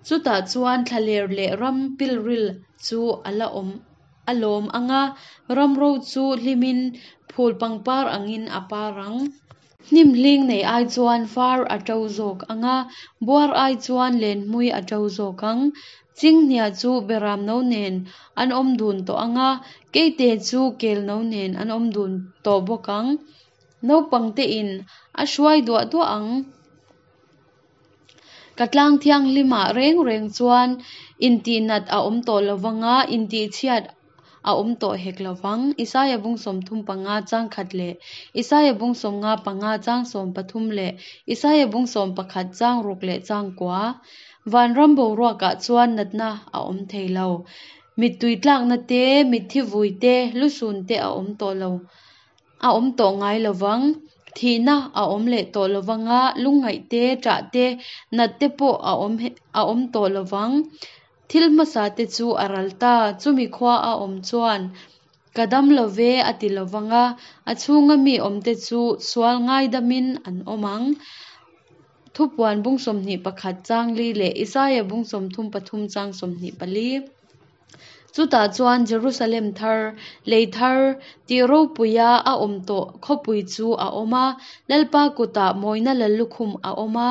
Chutah chuan thlaler leh ram pilril chu a la awm a lawm ang a, ramro chu hlimin phul pangpar angin a par ang. Hnim hling nei ai chuan far a to zawk ang a, buar ai chuan lenhmui a to zawk ang. Chinghnia chu beram no nen an awm dun tawh ang a, keite chu kel no nen an awm dun tawh bawk ang. Naupang tein a hruai duah duah ang. Ka tlang thianghlimah reng reng chuan intihnat a awm tawh lo vang a, intihchhiat a awm tawh hek lo vang. Isaia bung 35 chang khat leh Isaia bung 55 chang 13 leh Isaia bung 11 chang ruk leh chang kua. Vanram boruakah chuan natna a awm thei lo. Mittui tlakna te, mitthi vui te, lusun te a awm tawh lo. A awm tawh ngai lo vang. Thihna a awm leh tawh lo vang a, lungngaih te, ṭah te, nat te pawh a awm a awm tawh lo vang. Thil hmasa te chu a ral ta, chumi khua a awm chuan ka dam lo ve a ti lo vang a, a chhunga mi awmte chu sual ngaidamin an awm ang. Thupuan bung 21 chang li leh Isaia bung 33 chang 24. Chutah chuan Jerusalem thar, lei thar, tih ropuia a awm tawh khawpui chu a awm a, Lalpa kutah mawina lallukhum a awm a,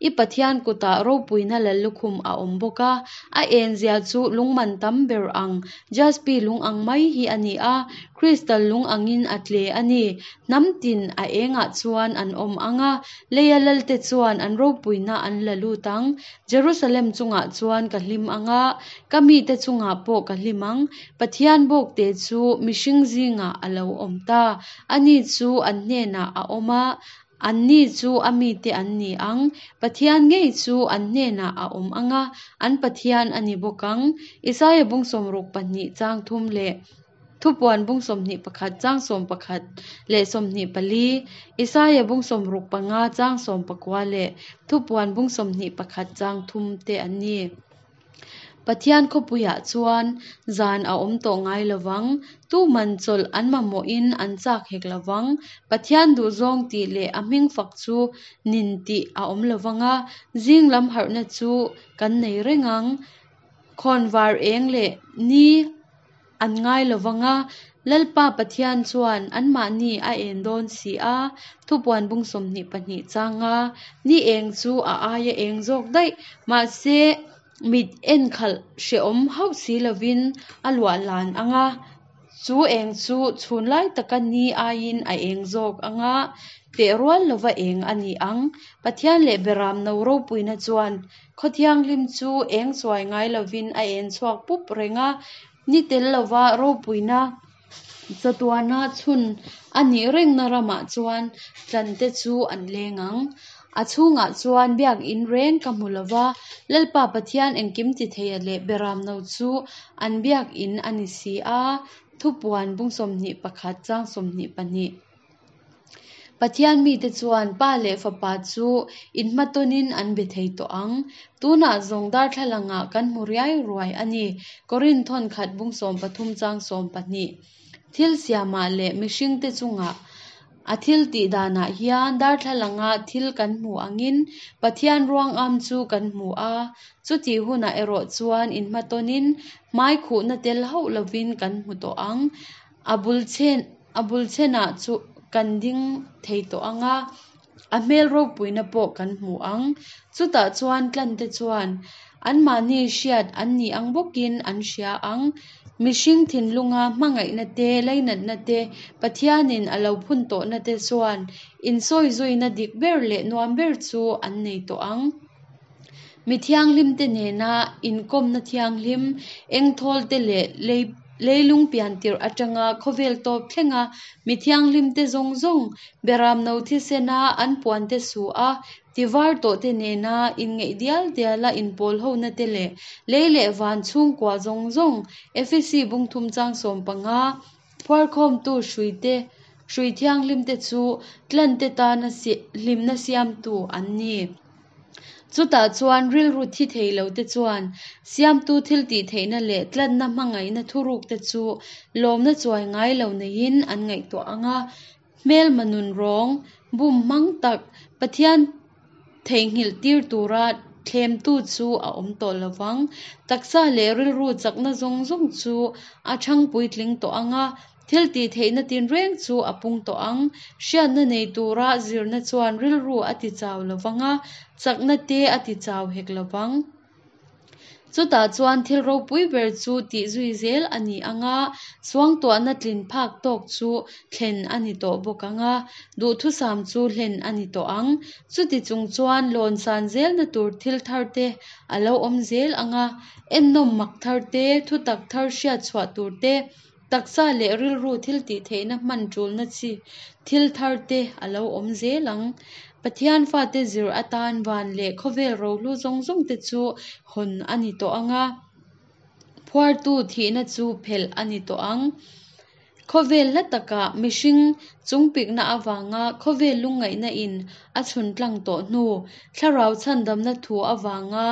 i Pathian kutah ropuina lallukhum a awm bawk a. A enzia chu lungman tam ber ang, jaspi lung ang mai hi a ni a, kristal lung angin a tle a ni. Hnam tin a engah chuan an awm ang a, leia lalte chuan an ropuina an la lut ang. Jerusalem chungah chuan ka hlim ang a, ka mite chungah pawh ka hlim ang. Pathian bawkte chu mihring zingah a lo awm ta. Ani chu an hnenah a awm a, anni chu a mite an ni ang. Pathian ngei chu an hnenah a awm ang a, an Pathian a ni bawk ang. Isaia bung 62 chang thum leh Thupuan bung 21 chang 11 leh 24, Isaia bung 65 chang 19 leh Thupuan bung 21 chang thum te an ni. Pathian khawpuiah chuan zan a awm tawh ngai lo vang, tuman chawlh an mamawhin an chak hek lo vang. Pathian duhzawng tih leh a hming fak chu nin tih a awm lo vang a, zing lam harhna chu kan nei reng ang. Khawnvar eng leh ni An ngai lo vang a, Lalpa Pathian chuan anmahni a en dawn si a, thupuan bung 22 chang a, ni eng chu a aia eng zawk daih, mahse mit en khalh hrehawm hauh si lovin a luah lan ang a, chu eng chu chhun lai taka ni aiin a eng zawk ang a, teh rual lova eng a ni ang. Pathian leh Beram no ropuina chuan Khaw thianghlim chu eng chuai ngai lovin a en chhuak pup reng a, ni tel lova ropuina chatuana chhun a nih rengna ramah chuan tlante chu an leng ang. A chhungah chuan biakin reng ka hmu lova, Lalpa Pathian engkim ti theia leh Beramno chu an biakin a ni si a, Thupuan bung 21 chang 22. Pathian mite chuan Pa leh Fapa chu inhmatawnin an be thei tawh ang. Tunah zawng darthlalangah kan hmu riai ruai a ni. Korinth thawn khat bung 13 chang 12. Thil siamah leh mihringte chungah a thil tih danah hian darthlalanga thil kan hmu angin Pathian ruangam chu kan hmu a. Chutih hunah erawh chuan inhmatawnin hmai khuhna tel hauh lovin kan hmu tawh ang. A bul chen a bul chenah chu kan ding thei tawh ang a, a hmel ropuina pawh kan hmu ang. Chutah chuan tlante chuan anmahni hriat an nih ang bawkin an hria ang. Mihring thinlunga hmangaihna te, leinatna te, Pathianin a lo phun tawhna te chuan insawizuina dik ber leh nuam ber chu an nei tawh ang. Mi thianghlimte nena inkawmna thianghlim, engthawlte leh lei leilung pian tirh atanga khawvel tawp thlenga mi thianghlimte zawng zawng Beramno thisena an puante su a. Tivar tawhte nena inngeih dial diala inpawlhona te leh lei leh van chhungkua zawng zawng, Efesi bung thum chang 15, phuarkhawmtu hruite, hrui thianghlimte chu tlante tana hlimna siamtu an ni. Chutah chuan rilru thi thei lote chuan Siamtu thiltihtheihna leh tlanna hmangaihna thurukte chu lawmna chuai ngai lo neiin an ngaihtuah ang a. Hmelma nun rawng, bum hmang tak, Pathian theihnghilh tir tura thlemtu chu a awm tawh lo vang. Taksa leh rilru chakna zawng zawng chu a chhang puitling tawh ang a, thil tihtheihna tinreng chu a pung tawh ang. Hriatna nei tura zirna chuan rilru a tichau lo vang a, chakna te a tichau hek lo vang. Chutah chuan thil ropui ber chu tih zui zel a ni ang a, suangtuahna tlin phak tawk chu thlen a ni tawh bawk ang a, duhthusam chu hlen a ni tawh ang. Chuti chung chuan lawn san zelna tur thil thar te a lo awm zel ang a, ennawm mak thar te, thutak thar hriat chhuah tur te, Taksa leh rilru thil tih theihna hman tulna chi thil thar te a lo awm zel ang. Pathian fate zir atan van leh khawvel rohlu zawng zawng te chu hawn a ni tawh ang a, phuartu thihna chu phelh a ni tawh ang. Khawvel hla takah mihring chungpikna avanga khawvel lungngaihna in a chhun tlang tawh hnu, thlarau chhandamna thu avanga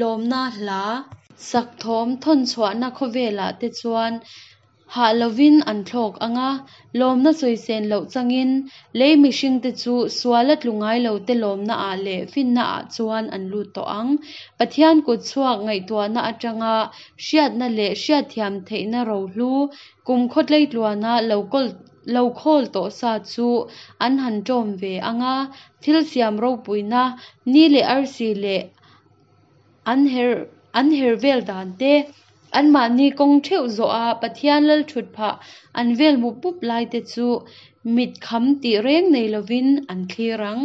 lawmna hla, Sak thawm thawn chhuahna khawvelah te chuan hah lovin an thlawk ang a, lawmna sawisen loh changin lei mihringte chu suala tlu ngai lote lawmnaah leh finnaah chuan an lut tawh ang. Pathian kut chhuak ngaihtuahna atanga hriatna leh hriatthiam theihna rohlu kum khawtleitluana lo kawl lo khawl tawh sa chu an han ṭawm ve ang a, thil siam ropuina ni leh arsi leh An her an her vel dan te, anmahni kawng theuh zawh a Pathian lal thut phah an vel mup mup lai te chu mit kham tih reng nei lovin an thlir ang.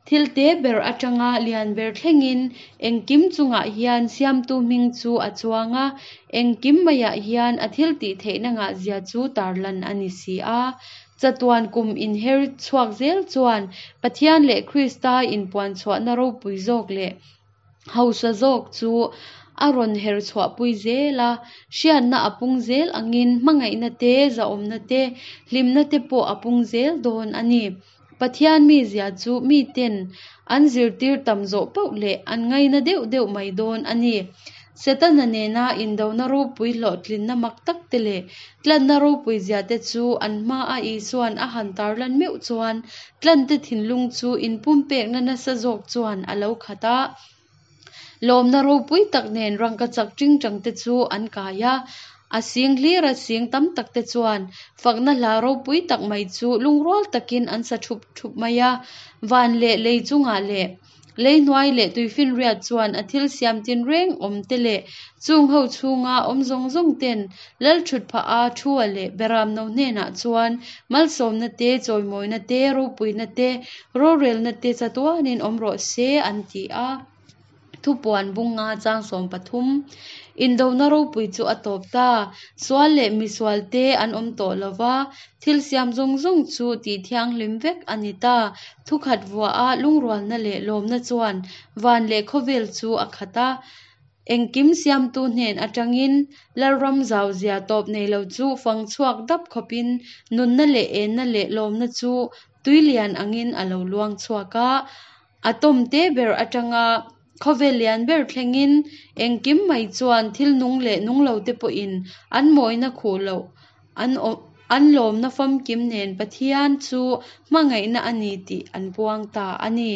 Thil te ber atanga lian ber thlengin engkim chungah hian Siamtu hming chu a chuang a, engkim maiah hian a thil tih theihna ngahzia chu tarlan a ni si a. Chatuan kum inher chhuak zel chuan Pathian leh Krista inpuanchhuahna ropui zawk leh hausa zawk chu a rawn her chhuahpui zel a, hriatna a pung zel angin hmangaihna te, zahawmna te, hlimna te pawh a pung zel dawn a ni. Pathian mizia chu miten an zirtir tam zawh poh leh an ngaina deuh deuh mai dawn a ni. Setana nena indona ropui hlawhtlinna mak tak te leh tlanna ropui zia te chu an hmaa Isua'n a han tarlan meuh chuan tlante thinlung chu inpumpekna nasa zawk chuan a lo khat a. Lawmna ropui tak nen rangkachak tingtang te chu an kai a, a sing hlira sing tam tak te chuan fakna hla ropui tak mai chu lungrual takin an sa thup thup mai a. Van leh lei chungah leh Lei hnuai leh tuifinriat chuan a thil siam tinreng awm te leh chung ho chhunga awm zawng zawng ten lal thut phah a thua leh beramno hnenah chuan malsawmna te, chawimawina te, ropuina te, rorelna te chatuanin awm rawh se an ti a. Thupuan bung nga chang 13. Indona ropui chu a tawp ta. Sual leh misual te an awm tawh lo va, thil siam zawng zawng chu tih thianghlim vek a ni ta. Thukhat vuaha lungrualna leh lawmna chuan van leh khawvel chu a khat a. Engkim siamtu hnen atangin Lalram zauzia tawp nei lo chu fang chhuak dap khawpin nunna leh enna leh lawmna chu tui lian angin a lo luang chhuak a. A tawm te ber atanga khawvel lian ber thlengin engkim mai chuan thil nung leh nung lo te pawhin an mawina khuh loh an an lawmna famkim nen Pathian chu hmangaihna a ni tih an puang ta a ni.